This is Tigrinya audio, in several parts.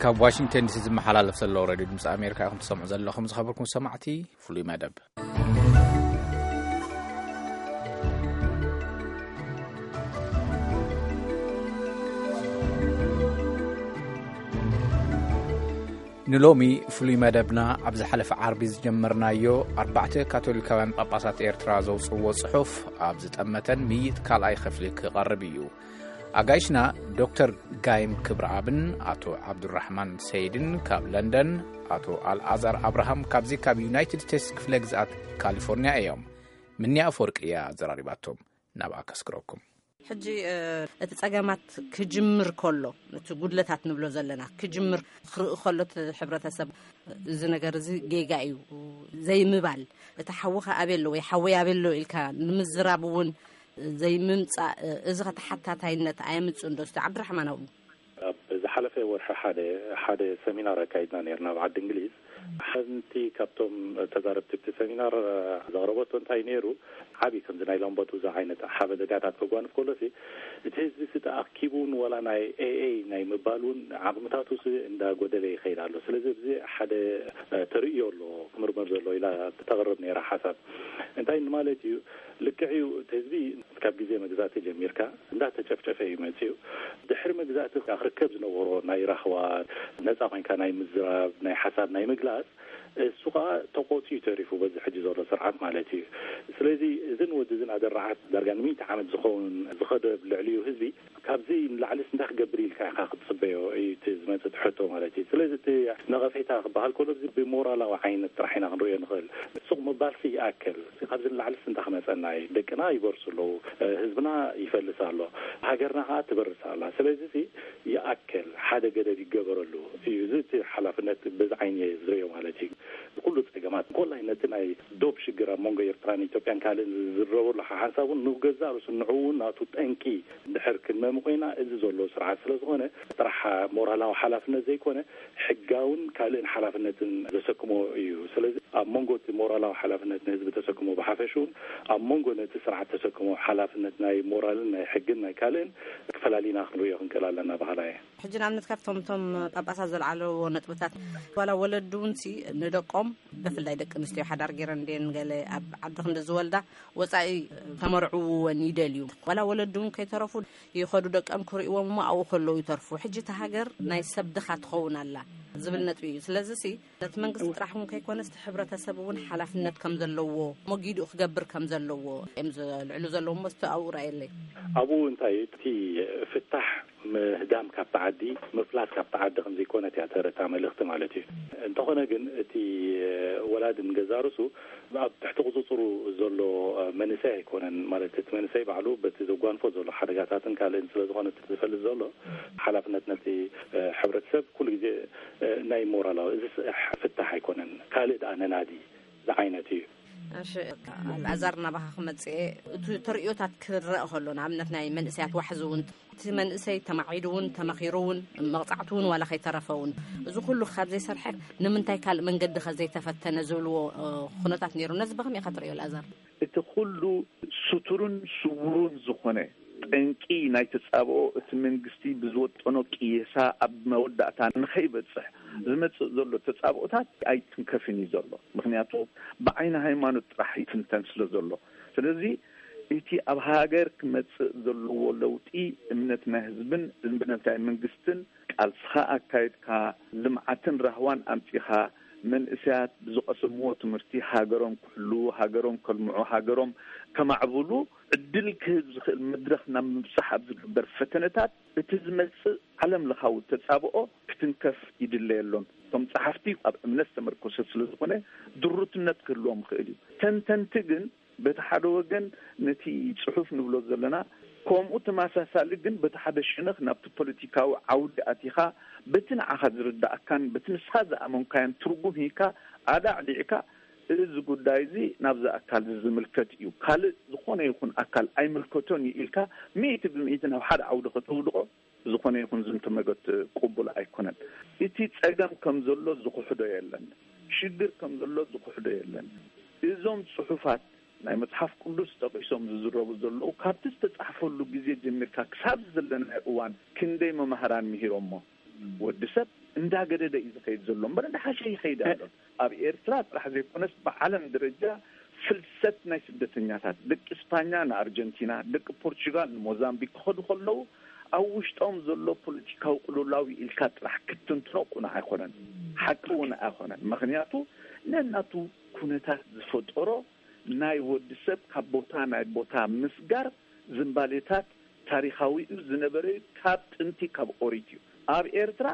ካብ ዋሽንግተን ዲሲ ዝመሓላለፍ ዘሎ ሬድዮ ድምፂ ኣሜሪካ ኢኹም ትሰምዑ ዘለኹም። ዝኸበርኩም ሰማዕቲ፣ ፍሉይ መደብ። ንሎሚ ፍሉይ መደብና፣ ኣብ ዝሓለፈ ዓርቢ ዝጀመርናዮ፣ ኣርባዕተ ካቶሊካውያን ጳጳሳት ኤርትራ ዘውጽእዎ ጽሑፍ ኣብ ዝጠመተን ምይጥ ካልኣይ ክፍሊ ክቐርብ እዩ። ኣጋይሽና ዶክተር ጋይም ክብረኣብን ኣቶ ዓብዱራሕማን ሰይድን ካብ ለንደን፣ ኣቶ ኣልኣዛር ኣብርሃም ካብዚ ካብ ዩናይትድ ስቴትስ ክፍለ ግዝኣት ካሊፎርኒያ እዮም። ምንያ ኣፈወርቂ እያ ኣዘራሪባቶም። ናብኣ ከስግረኩም። ሕጂ፣ እ፣ እቲ ጸገማት ክጅምር ከሎ፣ እቲ ጉድለታት ንብሎ ዘለና ክጅምር ክርኢ ከሎ፣ እቲ ሕብረተሰብ፣ እዚ ነገር እዚ ጌጋ እዩ ዘይምባል፣ እቲ ሓውኻ ኣበይ ኣሎ ወይ ሓወይ ኣበይ ኣሎ ኢልካ ንምዝራብ እውን ዘይምምጻእ፣ እዚ ኸ ተሓታታይነት ኣየምጽእን ዶ? እስቲ ዓብድራሕማን ኣብኡ። ኣብ ዝሓለፈ ወርሒ ሓደ፣ ሓደ ሰሚናር ኣካይድና ነርና ኣብ ዓዲ እንግሊዝ። ሓንቲ ካብቶም ተዛረብቲ እቲ ሰሚናር ዘቕረበቶ እንታይ ነይሩ፣ ዓብዪ ከምዚ ናይ ላምበዱዛ ዓይነት ሓበሬታታት ከጓንፍ ከሎሲ፣ እቲ ህዝቢ ሲ ተኣኪቡ እውን ዋላ ናይ ኤኤ ናይ ምባል እውን ዓቕምታቱ ሲ እንዳጎደለ ይኸይድ ኣሎ። ስለዚ ኣብዚ ሓደ ተርእዮ ኣሎ ክምርመር ዘሎ ኢላ ተቕርብ ነይራ ሓሳብ። እንታይ ማለት እዩ? ልክዕ እዩ፣ እቲ ህዝቢ ካብ ግዜ መግዛእቲ ጀሚርካ እንዳተጨፍጨፈ እዩ መፅዩ። ድሕሪ መግዛእቲ ክርከብ ዝነበሮ ናይ ራህዋ፣ ነፃ ኮይንካ ናይ ምዝራብ፣ ናይ ሓሳብ ናይ ምግላፅ፣ እሱ ከዓ ተቆፅዩ ተሪፉ በዚ ሕጂ ዘሎ ስርዓት ማለት እዩ። ስለዚ እዝን ወዲ እዝን ኣደራዓት ዳርጋ ንሚእቲ ዓመት ዝኸውን ዝኸደ ልዕሊኡ ህዝቢ ካብዚ ንላዕሊስ እንታይ ክገብር ኢልካ ኢኻ ክትፅበዮ እዩ እቲ ዝመፅእ ሕቶ ማለት እዩ። ስለዚ እቲ ነቐፌታ ክበሃል ከሎ እዚ ብሞራላዊ ዓይነት ጥራሕ ኢና ክንሪኦ ንኽእል። ሱቕ ምባልሲ ይኣክል። ካብዚ ንላዕሊስ እንታይ ክመፀና እዩ? ደቅና ይበርሱ ኣለዉ፣ ህዝብና ይፈልስ ኣሎ፣ ሃገርና ከዓ ትበርስ ኣላ። ስለዚ እዚ ይኣክል፣ ሓደ ገደብ ይገበረሉ እዩ። እዚ እቲ ሓላፍነት በዚ ዓይኒ እየ ዝሪኦ ማለት እዩ። ኩሉ ጸገማት፣ እንኮላይ ነቲ ናይ ዶብ ሽግር ኣብ መንጎ ኤርትራን ኢትዮጵያን ካልእን ዝዝረበሉ ሓንሳብ እውን ንገዛእ ርእሱ ንዕኡ እውን ናቱ ጠንቂ እንድሕር ክንመሚ ኮይና፣ እዚ ዘሎ ስርዓት ስለ ዝኾነ፣ ጥራሕ ሞራላዊ ሓላፍነት ዘይኮነ፣ ሕጋውን ካልእን ሓላፍነትን ዘሰክሞ እዩ። ስለዚ ኣብ መንጎ እቲ ሞራላዊ ሓላፍነት ንህዝቢ ተሰክሞ ብሓፈሽውን ኣብ መንጎ ነቲ ስርዓት ተሰክሞ ሓላፍነት ናይ ሞራልን ናይ ሕግን ናይ ካልእን ክፈላሊና ክንሪኦ ክንክእል ኣለና በሃላ እየ። ሕጂ ንኣብነት ካብቶም እቶም ጳጳሳት ዘልዓለዎ ነጥብታት፣ ዋላ ወለዲ እውን ሲ ንደቆም፣ ብፍላይ ደቂ ኣንስትዮ ሓዳር ገይረን እንድየን ገለ ኣብ ዓዲ ክንዲ ዝወልዳ ወፃኢ ተመርዕውወን ይደልዩ። ዋላ ወለዲ እውን ከይተረፉ ይኸዱ ደቀም ክርእዎም እሞ ኣብኡ ከለዉ ይተርፉ። ሕጂ እታ ሃገር ናይ ሰብ ድኻ ትኸውን ኣላ ዝብል ነጥቢ እዩ። ስለዚ ሲ ነቲ መንግስቲ ጥራሕ እውን ከይኮነስ እቲ ሕብረተሰብ እውን ሓላፍነት ከም ዘለዎ፣ መጊድኡ ክገብር ከም ዘለዎ እዮም ዘልዕሉ ዘለዉ። እሞ እስቲ ኣብኡ ራእየለይ። ኣብኡ እንታይ እቲ ፍታሕ ምህዳም ካብቲ ዓዲ፣ ምፍላስ ካብቲ ዓዲ ከም ዘይኮነት እያ ተረታ መልእኽቲ ማለት እዩ። እንተኾነ ግን እቲ ወላዲ ንገዛእ ርእሱ ኣብ ትሕቲ ቁጽጽሩ ዘሎ መንእሰይ ኣይኮነን። ማለት እቲ መንእሰይ ባዕሉ በቲ ዘጓንፎ ዘሎ ሓደጋታትን ካልእን ስለ ዝኾነ እቲ ዝፈልጥ ዘሎ ሓላፍነት ነቲ ሕብረተሰብ ኩሉ ግዜ ናይ ሞራላዊ እዚ ፍታሕ ኣይኮነን። ካልእ ደኣ ነናዲ ዝዓይነቱ እዩ። እሺ፣ ኣልኣዛር ናባኻ ክመጽእ እየ። እቲ ተርእዮታት ክረአ ከሎ ንኣብነት ናይ መንእሰያት ዋሕዚ እውን እቲ መንእሰይ ተማዒዱ እውን ተመኺሩ እውን መቕጻዕቱ እውን ዋላ ከይተረፈ እውን እዚ ኩሉ ካብ ዘይሰርሐ ንምንታይ ካልእ መንገዲ ከ ዘይተፈተነ ዝብልዎ እ፣ ኩነታት ነይሩ። ነዚ ብኸመይ ኢኻ ትርእዮ ኣልኣዛር? እቲ ኩሉ ስቱርን ስውሩን ዝኾነ ጠንቂ ናይ ተጻብኦ እቲ መንግስቲ ብዝወጠኖ ቅየሳ ኣብ መወዳእታ ንኸይበጽሕ ዝመጽእ ዘሎ ተጻብኦታት ኣይትንከፍን እዩ ዘሎ። ምኽንያቱ ብዓይኒ ሃይማኖት ጥራሕ ይትንተን ስለ ዘሎ። ስለዚ እቲ ኣብ ሃገር ክመጽእ ዘለዎ ለውጢ እምነት ናይ ህዝብን እምነት ናይ መንግስትን ቃልስኻ ኣካይድካ ልምዓትን ራህዋን ኣምጺኻ መንእሰያት ብዝቐሰምዎ ትምህርቲ ሃገሮም ክሕልዉ፣ ሃገሮም ከልምዑ፣ ሃገሮም ከማዕብሉ ዕድል ክህብ ዝኽእል መድረኽ ናብ ምብጻሕ ኣብ ዝግበር ፈተነታት እቲ ዝመጽእ ዓለም ለኻዊ ተጻብኦ ክትንከፍ ይድለየሎም። እቶም ጸሓፍቲ ኣብ እምነት ዝተመርኮሰ ስለ ዝኾነ ድሩትነት ክህልዎም ይኽእል እዩ። ተንተንቲ ግን በቲ ሓደ ወገን ነቲ ጽሑፍ ንብሎ ዘለና ከምኡ ተመሳሳሊ ግን በቲ ሓደ ሸነኽ ናብቲ ፖለቲካዊ ዓውዲ ኣቲኻ በቲ ንዓኻ ዝርዳእካን በቲ ንስኻ ዝኣመንካዮን ትርጉም ሂካ ኣዳዕዲዕካ እዚ ጉዳይ እዚ ናብዚ ኣካል እዚ ዝምልከት እዩ፣ ካልእ ዝኾነ ይኹን ኣካል ኣይምልከቶን እዩ ኢልካ ሚእቲ ብሚእቲ ናብ ሓደ ዓውዲ ከተውድቖ ብዝኾነ ይኹን ዝንተ መገት ቅቡል ኣይኮነን። እቲ ጸገም ከም ዘሎ ዝኽሕዶ የለን። ሽግር ከም ዘሎ ዝኽሕዶ የለን። እዞም ጽሑፋት ናይ መጽሓፍ ቅዱስ ጠቒሶም ዝዝረቡ ዘለዉ ካብቲ ዝተጻሕፈሉ ግዜ ጀሚርካ ክሳብ ዘለናዮ እዋን ክንደይ መማህራን ምሂሮሞ? ወዲ ሰብ እንዳገደደ እዩ ዝኸይድ ዘሎ እምበር እንዳሓሸ ይኸይድ ኣሎ። ኣብ ኤርትራ ጥራሕ ዘይኮነስ ብዓለም ደረጃ ፍልሰት ናይ ስደተኛታት፣ ደቂ እስፓኛ ንኣርጀንቲና፣ ደቂ ፖርቹጋል ንሞዛምቢክ ክኸዱ ከለዉ ኣብ ውሽጦም ዘሎ ፖለቲካዊ ቅልውላው ኢልካ ጥራሕ ክትትንትኖ ቁኑዕ ኣይኮነን፣ ሓቂ እውን ኣይኮነን። ምኽንያቱ ነናቱ ኩነታት ዝፈጠሮ ናይ ወዲ ሰብ ካብ ቦታ ናይ ቦታ ምስጋር ዝንባሌታት ታሪኻዊ እዩ፣ ዝነበረ እዩ፣ ካብ ጥንቲ ካብ ኦሪት እዩ። ኣብ ኤርትራ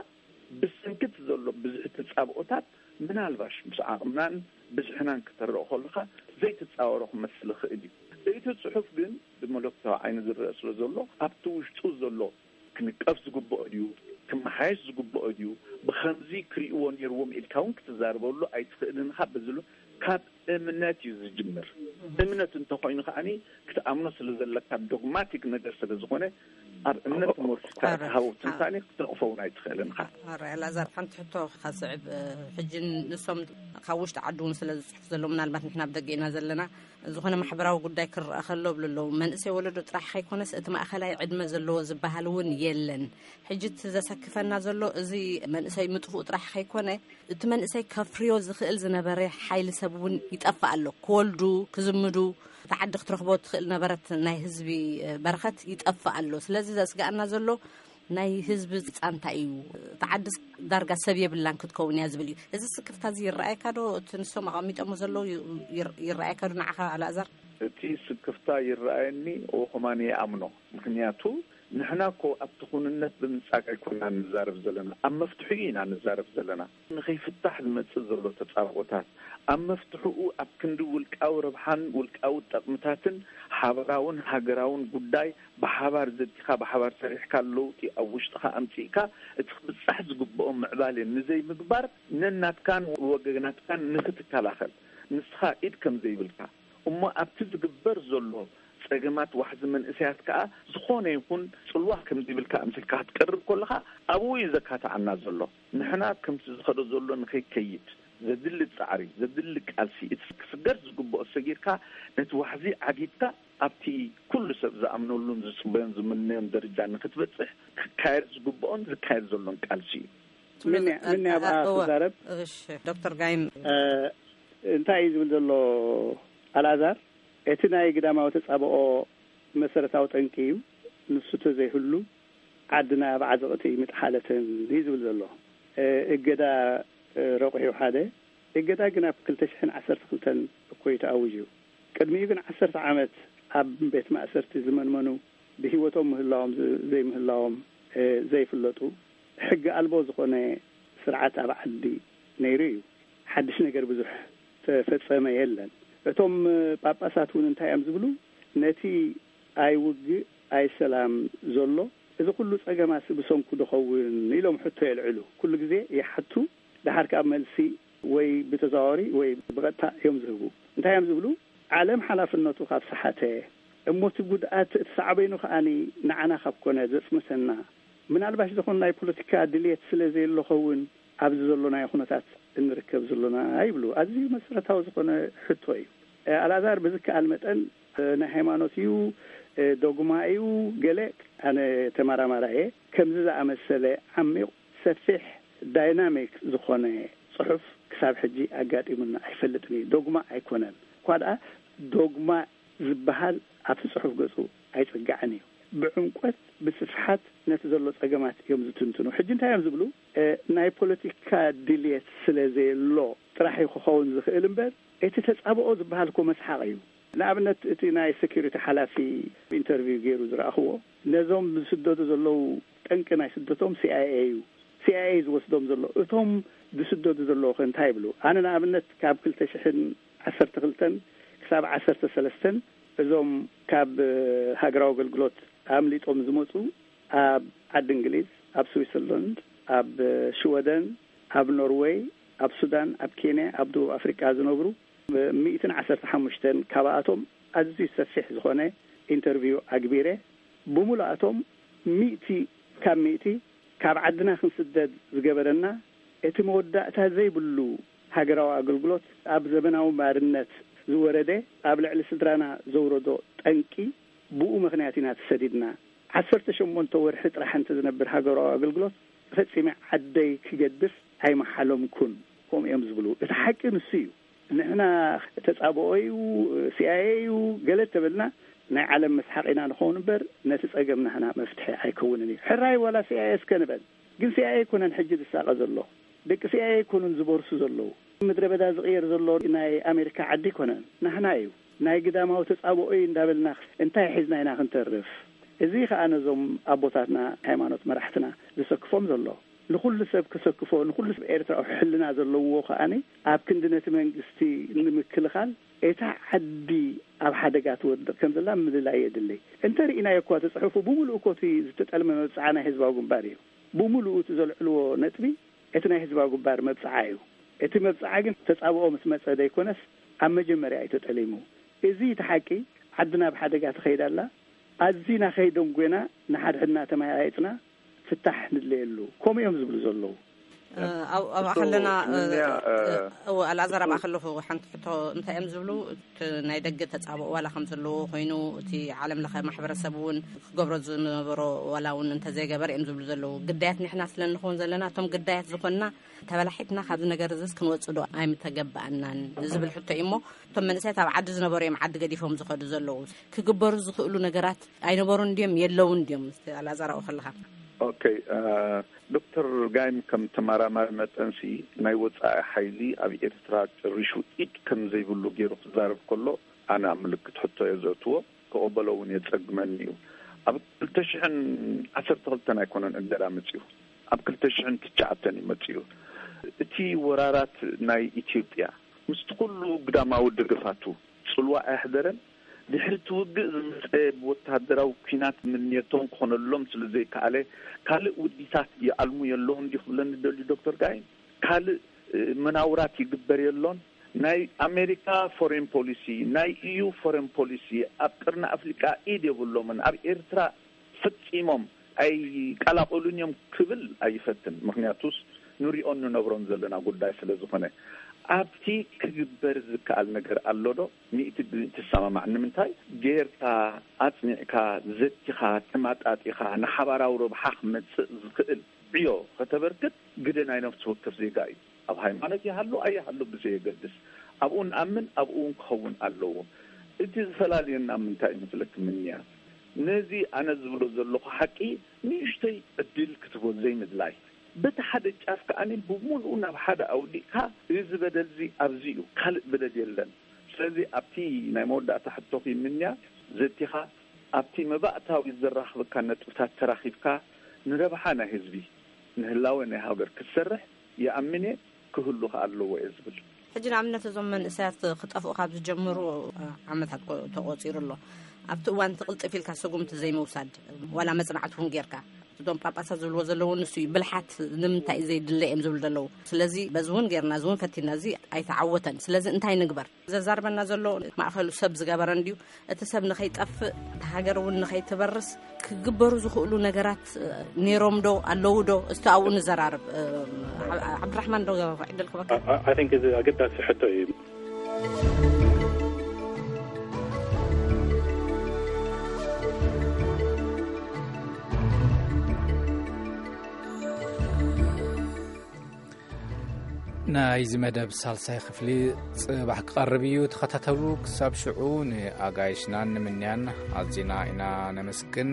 ብሰንክቲ ዘሎ ብዙሕ ተጻብኦታት ምናልባሽ ምስ ዓቕምናን ብዝሕናን ክተረኦ ከለኻ ዘይትጻወሮ ክመስል ይኽእል እዩ። እቲ ጽሑፍ ግን ብመለኮታዊ ዓይኒ ዝረአ ስለ ዘሎ ኣብቲ ውሽጡ ዘሎ ክንቀፍ ዝግብኦ ድዩ፣ ክመሓየሽ ዝግብኦ ድዩ፣ ብኸምዚ ክርእይዎ ነይርዎም ኢልካ እውን ክትዛረበሉ ኣይትኽእልን ኢኻ። በዚ ካብ እምነት እዩ ዝጅምር። እምነት እንተኾይኑ ከዓኒ ክትኣምኖ ስለ ዘለካ ዶግማቲክ ነገር ስለ ዝኾነ ኣብ እምነት ተመርኩስካ ትሃቦ ትንታኔ ክትነቕፎ እውን ኣይትኽእልን ኢኻ። ኣረ ኣልኣዛር፣ ሓንቲ ሕቶ ከስዕብ። ሕጂ ንሶም ካብ ውሽጢ ዓዲ እውን ስለ ዝፅሕፉ ዘለዉ፣ ምናልባት ንሕና ኣብ ደገ ኢና ዘለና፣ ዝኾነ ማሕበራዊ ጉዳይ ክረኣ ከሎ ብሉ ኣለዉ፣ መንእሰይ ወለዶ ጥራሕ ከይኮነስ እቲ ማእኸላይ ዕድመ ዘለዎ ዝበሃል እውን የለን። ሕጂ እቲ ዘሰክፈና ዘሎ እዚ መንእሰይ ምጥፍኡ ጥራሕ ከይኮነ፣ እቲ መንእሰይ ከፍርዮ ዝኽእል ዝነበረ ሓይሊ ሰብ እውን ይጠፍእ ኣሎ። ክወልዱ፣ ክዝምዱ፣ እቲ ዓዲ ክትረኽቦ ትኽእል ነበረት ናይ ህዝቢ በረኸት ይጠፍእ ኣሎ። ስለዚ ዘስግኣና ዘሎ ናይ ህዝቢ ፃንታ እዩ። እቲ ዓድስ ዳርጋ ሰብ የብላን ክትከውን እያ ዝብል እዩ። እዚ ስክፍታ እዚ ይረኣየካ ዶ? እቲ ንሶም ኣቐሚጦሞ ዘለዉ ይር-፣ ይረኣየካ ዶ ንዓኻ ኣልኣዛር? እቲ ስክፍታ ይረኣየኒ፣ እኹማን ይኣምኖ። ምኽንያቱ ንሕና እኮ ኣብቲ ኩንነት ብምጻግ ኣይኮና ንዛረብ ዘለና፣ ኣብ መፍትሒኡ ኢና ንዛረብ ዘለና። ንኸይፍታሕ ዝመጽእ ዘሎ ተጻብኦታት፣ ኣብ መፍትሒኡ ኣብ ክንዲ ውልቃዊ ረብሓን ውልቃዊ ጠቕምታትን ሓበራውን ሃገራውን ጉዳይ ብሓባር ዘቲኻ ብሓባር ሰሪሕካ ለውጢ ኣብ ውሽጥኻ ኣምጺእካ እቲ ክብጻሕ ዝግብኦ ምዕባለ ንዘይምግባር ነናትካን ወገናትካን ንኽትከላኸል ንስኻ ኢድ ከም ዘይብልካ እሞ ኣብቲ ዝግበር ዘሎ ጸገማት ዋሕዚ መንእሰያት ከኣ ዝኾነ ይኹን ጽልዋ ከም ዘይብልካ ኣምሲልካ ክትቀርብ ከለኻ ኣብኡ እዩ ዘካትዓና ዘሎ። ንሕና ከምቲ ዝኸዶ ዘሎ ንኸይከይድ ዘድሊ ጻዕሪ፣ ዘድሊ ቃልሲ፣ እቲ ክስገር ዝግብኦ ሰጊርካ ነቲ ዋሕዚ ዓጊትካ ኣብቲ ኩሉ ሰብ ዝኣምነሉን ዝጽበዮን ዝምነዮን ደረጃ ንኽትበጽሕ ክካየድ ዝግብኦን ዝካየድ ዘሎን ቃልሲ እዩ። ምን እያ፣ ምን እያ ኣብኣ እወ። ክዛረብ? እሺ፣ ዶክተር ጋይም። እ፣ እንታይ እዩ ዝብል ዘሎ ኣልኣዛር? እቲ ናይ ግዳማዊ ተጻብኦ መሰረታዊ ጠንቂ እዩ። ንሱ ተዘይህሉ ዓድና ኣብ ዓዘቕቲ ምጥሓለትን እዩ ዝብል ዘሎ። እ፣ እገዳ፣ እ፣ ረቑሑ ሓደ። እገዳ ግን ኣብ ክልተ ሽሕን ዓሰርተ ክልተን እኮ እዩ ተኣዊጁ። ቅድሚኡ ግን ዓሰርተ ዓመት ኣብ ቤት ማእሰርቲ ዝመንመኑ፣ ብህይወቶም ምህላዎም ዝ-፣ ዘይምህላዎም፣ እ፣ ዘይፍለጡ፣ ሕጊ ኣልቦ ዝኾነ ስርዓት ኣብ ዓዲ ነይሩ እዩ። ሓድሽ ነገር ብዙሕ ተፈጸመ የለን። እቶም ጳጳሳት እውን እንታይ እዮም ዝብሉ? ነቲ ኣይ ውግእ ኣይ ሰላም ዘሎ፣ እዚ ኩሉ ጸገማሲ ብሰንኩ ዶ ኸውን ኢሎም ሕቶ የልዕሉ። ኩሉ ግዜ ይሓቱ፣ ደሓር ካብ መልሲ ወይ ብተዘዋዋሪ ወይ ብቐጥታ እዮም ዝህቡ። እንታይ እዮም ዝብሉ? ዓለም ሓላፍነቱ ካብ ሰሓተ፣ እሞ እቲ ጉድኣት እቲ ሳዕቤኑ ከኣኒ ንዓና ካብ ኮነ ዘጽንተና፣ ምናልባሽ ዝኾነ ናይ ፖለቲካ ድልየት ስለ ዘየሎ ኸውን ኣብዚ ዘሎናዮ ኩነታት እንርከብ ዘሎና ይብሉ። ኣዝዩ መሰረታዊ ዝኾነ ሕቶ እዩ። እ፣ ኣልኣዛር ብዝከኣል መጠን፣ እ፣ ናይ ሃይማኖት እዩ፣ እ፣ ዶግማ እዩ፣ ገለ፣ ኣነ ተመራማሪ እየ። ከምዚ ዝኣመሰለ ዓሚቕ፣ ሰፊሕ፣ ዳይናሚክ ዝኾነ ጽሑፍ ክሳብ ሕጂ ኣጋጢሙና ኣይፈልጥን እዩ። ዶግማ ኣይኮነን። እኳ ደኣ ዶግማ ዝበሃል ኣብቲ ጽሑፍ ገጹ ኣይጽጋዕን እዩ። ብዕምቆት፣ ብስፍሓት ነቲ ዘሎ ጸገማት እዮም ዝትንትኑ። ሕጂ እንታይ እዮም ዝብሉ? እ፣ ናይ ፖለቲካ ድልየት ስለ ዘየሎ ጥራሕ እዩ ክኸውን ዝኽእል እምበር፣ እቲ ተጻብኦ ዝበሃል እኮ መስሓቕ እዩ። ንኣብነት፣ እቲ ናይ ሴኩሪቲ ሓላፊ ኢንተርቪው ገይሩ ዝረኣኽዎ፣ ነዞም ዝስደዱ ዘለዉ ጠንቂ ናይ ስደቶም ሲ ኣይ ኤ እዩ። ሲ ኣይ ኤ ዝወስዶም ዘሎ። እቶም ዝስደዱ ዘለዉ ከ እንታይ ይብሉ? ኣነ ንኣብነት ካብ ክልተ ሽሕን ዓሰርተ ክልተን ክሳብ ዓሰርተ ሰለስተን እዞም ካብ ሃገራዊ ኣገልግሎት ኣምሊጦም ዝመጹ ኣብ ዓዲ እንግሊዝ፣ ኣብ ስዊትዘርላንድ፣ ኣብ ሽወደን፣ ኣብ ኖርወይ፣ ኣብ ሱዳን፣ ኣብ ኬንያ፣ ኣብ ደቡብ ኣፍሪቃ ዝነብሩ ሚእትን ዓሰርተ ሓሙሽተን ካብኣቶም ኣዝዩ ሰፊሕ ዝኾነ ኢንተርቪው ኣግቢረ። ብምሉኣቶም ሚእቲ ካብ ሚእቲ ካብ ዓድና ክንስደድ ዝገበረና እቲ መወዳእታ ዘይብሉ ሃገራዊ ኣገልግሎት፣ ኣብ ዘመናዊ ባርነት ዝወረደ፣ ኣብ ልዕሊ ስድራና ዘውረዶ ጠንቂ፣ ብኡ ምኽንያት ኢና ተሰዲድና። ዓሰርተ ሸሞንተ ወርሒ ጥራሕ እንተ ዝነብር ሃገራዊ ኣገልግሎት፣ ፈጺመ ዓደይ ክገድፍ ኣይመሓለምኩን፣ ከምኡ እዮም ዝብሉ። እቲ ሓቂ ንሱ እዩ። ንሕና ተጻብኦ እዩ፣ ሲኣይኤ እዩ፣ ገለ ተበልና፣ ናይ ዓለም መስሓቕ ኢና ንኸውን እምበር፣ ነቲ ጸገም ናህና መፍትሒ ኣይከውንን እዩ። ሕራይ ዋላ ሲኣይኤ እስከ ንበል። ግን ሲኣይኤ ኣይኮነን ሕጂ ዝሳቐ ዘሎ። ደቂ ሲኣይኤ ኣይኮኑን ዝበርሱ ዘለዉ። ምድረ በዳ ዝቕየር ዘሎ ናይ ኣሜሪካ ዓዲ ኣይኮነን፣ ናህና እዩ። ናይ ግዳማዊ ተጻብኦ እዩ እንዳበልና እንታይ ሒዝና ኢና ክንተርፍ? እዚ ኸኣ ነዞም ኣቦታትና ሃይማኖት መራሕትና ዘሰክፎም ዘሎ። ንኹሉ ሰብ ከሰክፎ፣ ንኹሉ ሰብ ኤርትራዊ ሕልና ዘለዎ ከኣኒ ኣብ ክንዲ ነቲ መንግስቲ ንምክልኻል እታ ዓዲ ኣብ ሓደጋ ትወድቕ ከም ዘላ ምልላይ የድሊ። እንተ ርኢናዮ እኳ እቲ ጽሑፉ ብምሉእ እኮ እቲ ዝተጠልመ መብጽዓ ናይ ህዝባዊ ግንባር እዩ። ብምሉኡ እቲ ዘልዕልዎ ነጥቢ እቲ ናይ ህዝባዊ ግንባር መብጽዓ እዩ። እቲ መብጽዓ ግን ተጻብኦ ምስ መጸ ዘይኮነስ ኣብ መጀመርያ እዩ ተጠሊሙ። እዚ እቲ ሓቂ። ዓድና ኣብ ሓደጋ ትኸይድ ኣላ። ኣዚና ከይደንጎና ንሓድሕድና ተመያይጥና ፍታሕ ንድለየሉ። ከምኡ እዮም ዝብሉ ዘለዉ። ኣብኣ ከለና እወ ኣልኣዛር ኣብኣ ከለኹ ሓንቲ ሕቶ እንታይ እዮም ዝብሉ? እቲ ናይ ደገ ተጻብኦ ዋላ ከም ዘለዎ ኮይኑ እቲ ዓለም ለኸ ማሕበረሰብ እውን ክገብሮ ዝነበሮ ዋላ እውን እንተዘይገበር እዮም ዝብሉ ዘለዉ። ግዳያት ንሕና ስለ እንኸውን ዘለና እቶም ግዳያት ዝኾንና ተበላሒትና ካብዚ ነገር እዚስ ክንወፅእ ዶ ኣይምተገባኣናን ዝብል ሕቶ እዩ እሞ እቶም መንእሰያት ኣብ ዓዲ ዝነበሩ እዮም ዓዲ ገዲፎም ዝኸዱ ዘለዉ። ክግበሩ ዝኽእሉ ነገራት ኣይነበሩን ድዮም የለውን ድዮም? ኣልኣዛር ኣብኡ ከለኻ። ኦኬ። ዶክተር ጋይም ከም ተመራማሪ መጠንሲ ናይ ወፃኢ ሓይሊ ኣብ ኤርትራ ጭሪሹ ኢድ ከም ዘይብሉ ገይሩ ክዛረብ ከሎ ኣነ ኣብ ምልክት ሕቶ እየ ዘእትዎ። ክቐበሎ እውን የፀግመኒ እዩ። ኣብ ክልተ ሽሕን ዓሰርተ ክልተን ኣይኮነን እገዳ መፅዩ፣ ኣብ ክልተ ሽሕን ትሽዓተን እዩ መፅዩ። እቲ ወራራት ናይ ኢትዮጵያ ምስቲ ኩሉ ግዳማዊ ደገፋቱ ፅልዋ ኣየሕደረን። ድሕሪ እቲ ውግእ ዝመፀ ብወታደራዊ ኲናት ምንየቶም ክኾነሎም ስለ ዘይከኣለ ካልእ ውዲታት ይኣልሙ የለውን ድዩ ክብለኒ ደልዩ ዶክተር ጋይም። ካልእ መናውራት ይግበር የሎን። ናይ ኣሜሪካ ፎሬን ፖሊሲ፣ ናይ ኢዩ ፎሬን ፖሊሲ ኣብ ቅርኒ ኣፍሪቃ ኢድ የብሎምን። ኣብ ኤርትራ ፈጺሞም ኣይቀላቀሉን እዮም ክብል ኣይፈትን። ምክንያቱስ ንሪኦን ንነብሮን ዘለና ጉዳይ ስለ ዝኾነ ኣብቲ ክግበር ዝከኣል ነገር ኣሎ ዶ? ሚእቲ ብሚእቲ ትሰማማዕ። ንምንታይ ጌርካ ኣጽኒዕካ ዘቲኻ ተማጣጢኻ ንሓባራዊ ረብሓ ክመጽእ ዝኽእል ዕዮ ከተበርክት ግደ ናይ ነፍሲ ወከፍ ዜጋ እዩ። ኣብ ሃይማኖት ይሃሉ ኣይሃሉ ብዘየገድስ ኣብኡ ንኣምን ኣብኡ እውን ክኸውን ኣለዎ። እቲ ዝፈላልየና ምንታይ እዩ መስለኪ ምንያ? ነዚ ኣነ ዝብሎ ዘለኹ ሓቂ ንእሽተይ ዕድል ክትቦ ዘይምድላይ። በቲ ሓደ ጫፍ ከኣ ብሙሉኡ ናብ ሓደ ኣውዲቕካ እዚ በደል እዚ ኣብዚ እዩ፣ ካልእ በደል የለን። ስለዚ ኣብቲ ናይ መወዳእታ ሕቶኺ ምንያ ዘቲኻ ኣብቲ መባእታዊ ዘራኽበካ ነጥብታት ተራኺብካ ንረብሓ ናይ ህዝቢ ንህላወ ናይ ሃገር ክትሰርሕ ይኣምን እየ፣ ክህሉ ከኣ ኣለዎ እየ ዝብል። ሕጂ ንኣብነት እዞም መንእሰያት ክጠፍኡ ካብ ዝጀምሩ ዓመታት ተቆፂሩ ኣሎ። ኣብቲ እዋን ትቕልጥፍ ኢልካ ስጉምቲ ዘይምውሳድ ዋላ መፅናዕቲ እውን ጌርካ እቶም ጳጳሳት ዝብልዎ ዘለዉ ንሱ እዩ። ብልሓት ንምንታይ እዩ ዘይድለ እዮም ዝብሉ ዘለዉ። ስለዚ በዚ እውን ጌርና እዚ እውን ፈቲና እዚ ኣይተዓወተን። ስለዚ እንታይ ንግበር? ዘዛርበና ዘሎ ማእኸሉ ሰብ ዝገበረ እንድዩ። እቲ ሰብ ንኸይጠፍእ እታ ሃገር እውን ንኸይትበርስ ክግበሩ ዝኽእሉ ነገራት ነይሮም ዶ ኣለዉ ዶ? እስቲ ኣብኡ ንዘራርብ። ዓብድራሕማን ዶ ዕድል ክበካ? እዚ ኣገዳሲ ሕቶ እዩ። ናይዚ መደብ ሳልሳይ ክፍሊ ጽባሕ ክቐርብ እዩ። ተኸታተሉ። ክሳብ ሽዑ ንኣጋይሽናን ንምንያን ኣዚና ኢና ነመስግን።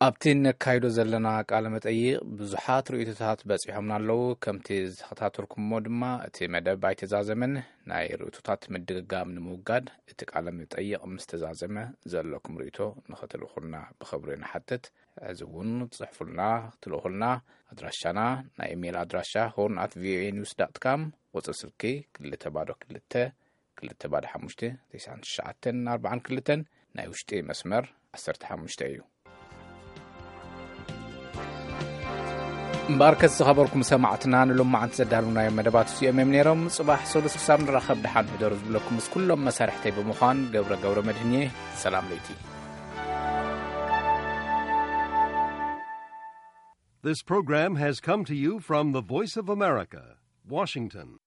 ኣብቲ ነካይዶ ዘለና ቃለ መጠይቕ ብዙሓት ርእይቶታት በጺሖምና ኣለዉ። ከምቲ ዝተኸታተልኩሞ ድማ እቲ መደብ ኣይተዛዘመን። ናይ ርእይቶታት ምድግጋም ንምውጋድ እቲ ቃለ መጠይቕ ምስ ተዛዘመ ዘለኩም ርእይቶ ንኸትልኹልና ብኽብሪ ንሓትት። ሕዚ እውን ጽሕፉልና፣ ክትልእኹልና። ኣድራሻና ናይ ኢሜይል ኣድራሻ ሆርን ኣት ቪኦኤ ኒውስ ዳት ካም፣ ቁጽሪ ስልኪ ክልተ ባዶ ክልተ ክልተ ባዶ ሓሙሽተ ተስዓን ትሽዓተን ኣርባዓን ክልተን፣ ናይ ውሽጢ መስመር ዓሰርተ ሓሙሽተ እዩ። እምበኣርከስ ዝኸበርኩም ሰማዕትና ንሎማዓንቲ ዘዳልውናዮም መደባት እዚኦም እዮም ነይሮም። ጽባሕ ሰሉስ ክሳብ ንራኸብ ደሓን ሕደሩ ዝብለኩም ምስ ኩሎም መሳርሕተይ ብምዃን ገብረ ገብረ መድህን እየ። ሰላም ለይቲ። This program has come to you from the Voice of America, Washington.